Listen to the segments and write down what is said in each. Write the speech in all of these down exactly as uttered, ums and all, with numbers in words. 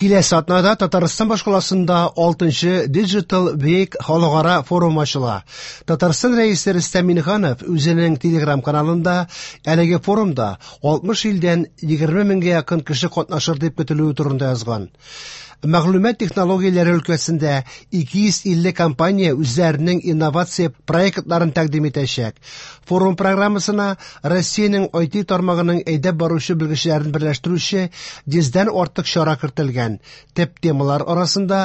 Киләсе атнада Татарстан башкаласында алтынчы Digital Week халыкара форум ачыла. Татарстан Рәисе Рөстәм Миңнеханов үзенең Telegram каналында әлеге форумда алтмыш илдән егерме меңгә якын кеше катнашыр дип көтелүе турында язган. Мәгълүмат технологияләре өлкәсендә ике йөз илле компания үзләренең инновация проектларын тәкъдим итәчәк. Форум программасына Россиянең ай ти тармагының әйдәп баручы белгечләрен берләштерүче йөздән артык чара кертелгән. Төп темалар арасында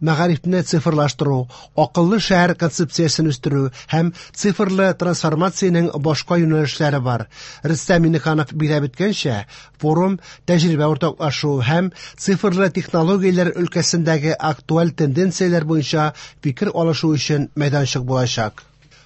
мәгарифне цифрлаштыру, акыллы шәһәр концепциясен үстерү һәм цифрлы трансформациянең башка юнәлешләре бар. Рөстәм Миңнеханов билгеләп үткәнчә, форум тәҗрибә уртаклашу һәм цифрлы технологияләр өлкәсендәге актуаль тенденцияләр буенча фикер алышу өчен мәйданчык булачак.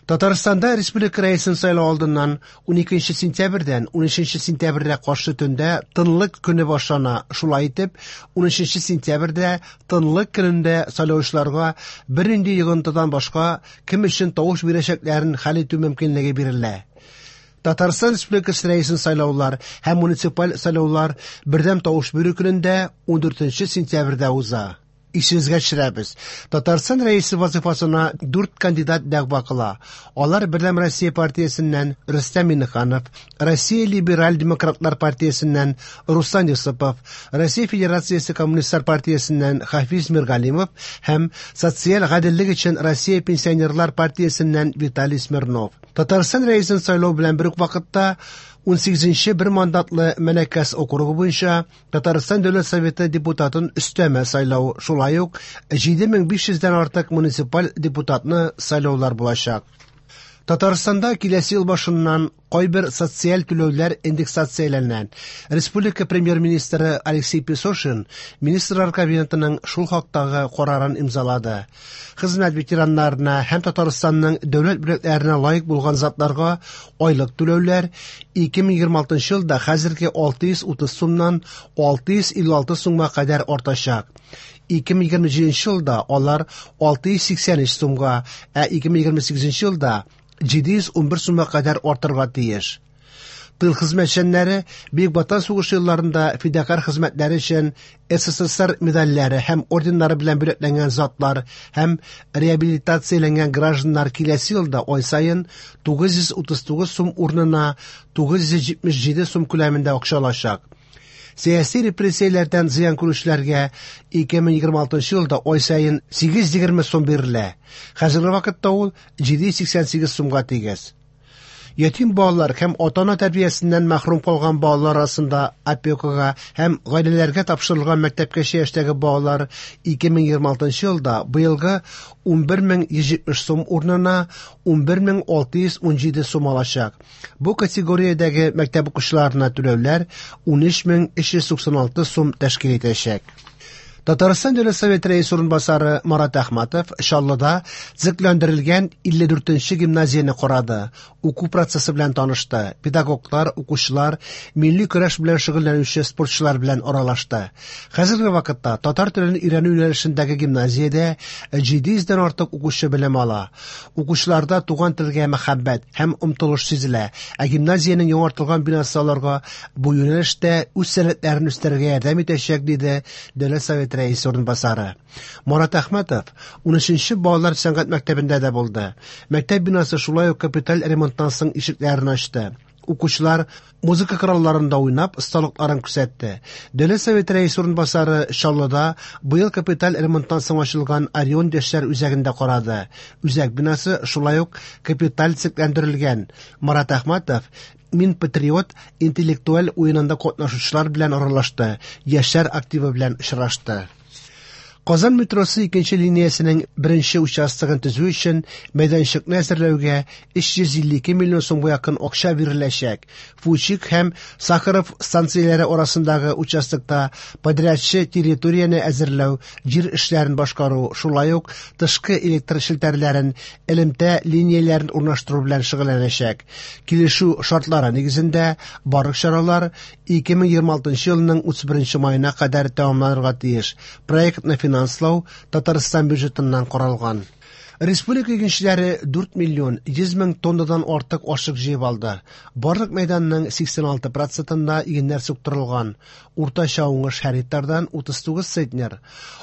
Татарстанда республика рәисен сайлау алдыннан уникенче сентябрьдән унөченче сентябрьгә каршы төндә тынлык көне башлана. Шулай итеп, унөченче сентябрьдә тынлык көнендә сайлаучыларга бернинди йогынтыдан башка кем өчен тавыш бирәчәкләрен хәл итү мөмкинлеге бирелә. Татарстан Республикасы рәисен сайлаулар һәм муниципаль сайлаулар бердәм тавыш бирү көнендә ундүртенче сентябрьдә уза. Исегезгә төшерәбез. Татарстан рәисе вазифасына дүрт кандидат дәгъва кыла. Алар Бердәм Россия партиясеннән Рөстәм Миңнеханов, Россия Либераль Демократлар партиясеннән Руслан Юсупов, Россия Федерациясе Коммунистлар партиясеннән Хафиз Миргалимов һәм Социаль гаделлек өчен Россия Пенсионерлар партиясеннән Виталий Смирнов. Татарстан рәисен сайлау белән бер үк вакытта унсигезенче бер мандатлы Мәнәкәс округы буенча Татарстан Дәүләт Советы депутатын өстәмә сайлау, шулай ук җиде мең биш йөздән артык муниципаль депутатны сайлаулар булачак. Татарстанда киләсе ел башыннан кайбер социаль түләүләр индексацияләнә. Республика премьер-министры Алексей Песошин Министрлар Кабинетының шул хактагы карарын имзалады. Хезмәт ветераннарына һәм Татарстанның дәүләт бүләкләренә лаек булган затларга айлык түләүләр ике мең егерме алтынчы елда хәзерге алты йөз утыз сумнан алты йөз илле алты сумга кадәр артачак. Ике мең егерме җиденче елда алар алты йөз сиксән өч сумга, ә ике мең егерме сигезенче елда җиде йөз унбер сумга кадәр артырга тиеш. Тыл хезмәтчәннәре Бөек Ватан сугышы елларында фидакар хезмәтләре өчен эс эс эс эр медальләре һәм орденнары белән бүләкләнгән затлар һәм реабилитацияләнгән гражданнар киләсе елда ай саен тугыз йөз утыз тугыз сум урынына тугыз йөз җитмеш җиде сум күләмендә акча алачак. Сәяси репрессияләрдән зыян күрүчеләргә ике мең егерме алтынчы елда ай саен сигез йөз егерме сум бирелә. Хәзерге вакытта ул җиде йөз сиксән сигез сумга тигез. Ятим балалар һәм ата-ана тәрбиясеннән мәхрүм калган балалар арасында опекага һәм гаиләләргә тапшырылган мәктәпкәчә яшьтәге балалар ике мең егерме алтынчы елда быелгы унбер мең йөз җитмеш сум урынына унбер мең алты йөз унҗиде сум алачак. Бу категориядәге мәктәп укучыларына түләүләр унөч мең өч йөз туксан алты сум тәшкил итәчәк. Татарстан Дәүләт Советы рәисе урынбасары Марат Әхмәтов Чаллыда төзекләндерелгән илле дүртенче гимназияне карады. Уку процессы белән танышты. Педагоглар, укучылар, милли көрәш белән шөгыльләнүче спортчылар белән аралашты. Хәзерге вакытта татар телен өйрәнү юнәлешендәге гимназиядә җиде йөздән артык укучы белем ала. Укучыларда туган телгә мәхәббәт һәм омтылыш сизелә. Ә гимназиянең яңартылган бинасы аларга бу юнәлештә үз сәләтләрен үстерергә ярдәм итәчәк, диде Дәүләт Советы рәисе урынбасары. Марат Әхмәтов унөченче балалар сәнгать мәктәбендә дә булды. Мәктәп бинасы шулай ук капиталь ремонттан соң ишекләрен ачты. Укучылар музыка коралларында уйнап, осталыкларын күрсәтте. Дәүләт Советы рәисе урынбасары Чаллыда быел капиталь ремонттан соң ачылган Орион яшьләр үзәгендә карады. Үзәк бинасы шулай ук капиталь төзекләндерелгән. Марат Әхмәтов Мин патриот интеллектуаль уенында катнашучылар белән аралашты, яшьләр активы белән очрашты. Казан метросы икенче линиясенең беренче участогын төзү өчен мәйданчыкны әзерләүгә өч йөз илле ике миллион сумга якын акча биреләчәк. Фучик һәм Сахаров станцияләре арасындагы участокта подрядчы территорияне әзерләү, җир эшләрен башкару, шулай ук тышкы электр челтәрләрен, элемтә линияләрен урнаштыру белән шөгыльләнәчәк. Килешү шартлары нигезендә барлык чаралар ике мең егерме алтынчы елның утыз беренче маена кадәр тәмамланырга тиеш. Проектны финанслау Татарстан бюджетыннан каралган. Республика игенчеләре дүрт миллион йөз мең тоннадан артык ашлык җыеп алды. Барлык мәйданның сиксән алты процентында игеннәр суктырылган. Уртача уңыш һәр гектардан утыз тугыз центнер.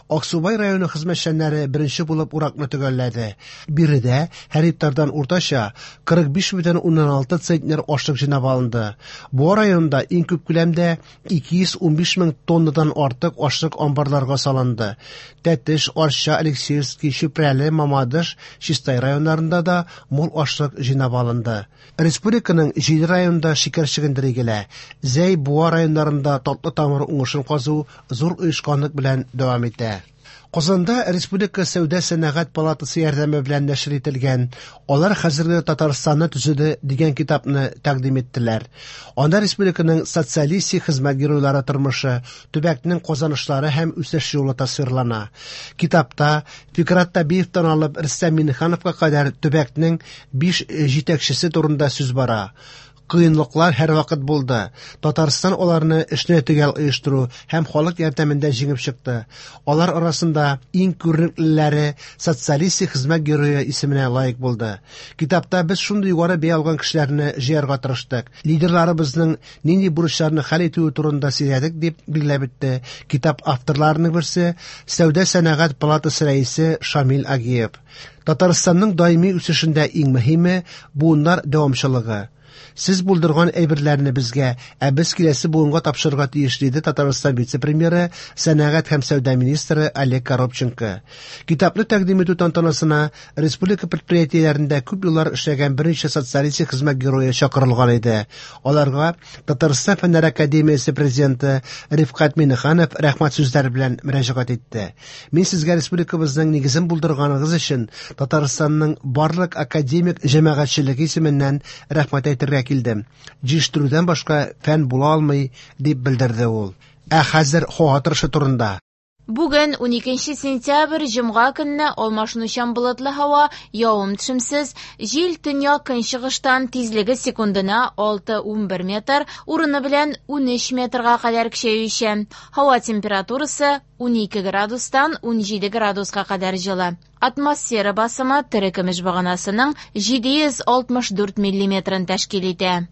Аксубай районы хезмәтчәннәре беренче булып уракны төгәлләде. Биредә һәр гектардан уртача кырык биш бөтен уннан алты центнер ашлык җыйнап алынды. Буа районында иң күп күләмдә ике йөз унбиш мең тоннадан артык ашлык амбарларга салынды. Тәтеш, Арча, Алексеевский, Чүпрәле, Мамадыш, Чистай районнарында да мул ашлык җыйнап алынды. Республиканың җиде районында шикәр чөгендере игелә. Зәй, Буа районнарында татлы тамыр уңышын казу зур оешканлык белән дәвам итә. Казанда Республика Сәүдә Сәнәгать палатасы ярдәме белән нәшер ителгән Алар хәзерге Татарстанны төзеде дигән китапны тәкъдим иттеләр. Анда республиканың социалистик хезмәт геройлары тормышы, төбәкнең казанышлары һәм үсеш юлы тасвирлана. Китапта Фикрат Табиевтан алып Рөстәм Миңнехановка кадәр төбәкнең биш җитәкчесе турында сүз бара. Кыенлыклар һәр вакыт булды. Татарстан аларны эшне төгәл оештыру һәм халык ярдәмендә җиңеп чыкты. Алар арасында иң күренеклеләре социалистик хезмәт герое исеменә лаек булды. Китапта без шундый югары бәя алган кешеләрне җыярга тырыштык. Лидерларыбызның нинди бурычларны хәл итүе турында сөйләдек, дип билгеләп үтте китап авторларының берсе, Сәүдә Сәнәгать палатасы рәисе Шамил Агиев. Татарстанның даими үсешендә иң мөһиме буыннар дәвамчылыгы. Сез булдырган әйберләрне безгә, ә без киләсе буынга тапшырырга тиеш, диде Татарстан вице-премьеры, сәнәгать һәм сәүдә министры Олег Коробченко. Китапны тәкъдим итү тантанасына республика предприятиеләрендә күп еллар эшләгән берничә социалистик хезмәт герое чакырылган иде. Аларга Татарстан Фәннәр академиясе президенты Рифкать Миңнеханов рәхмәт сүзләре белән мөрәҗәгать итте. Мин сезгә республикабызның нигезен булдырганыгыз өчен Татарстанның барлык академик җәмәгатьчелеге исеменнән рәхмәт әйтергә килдем. Җитештерүдән башка фән була алмый, дип белдерде ул. Ә хәзер һава торышы турында. Бүген уникенче сентябрь җомга көнне алмашынучан болытлы һава, явым-төшемсез, җил төньяк көнчыгыштан тизлеге секундына алты унбер метр, урыны белән унөч метрга кадәр көчәючән. Һава температурасы унике градустан унҗиде градуска кадәр җылы. Атмосфера басымы терекөмеш баганасының җиде йөз алтмыш дүрт миллиметрын тәшкил итә.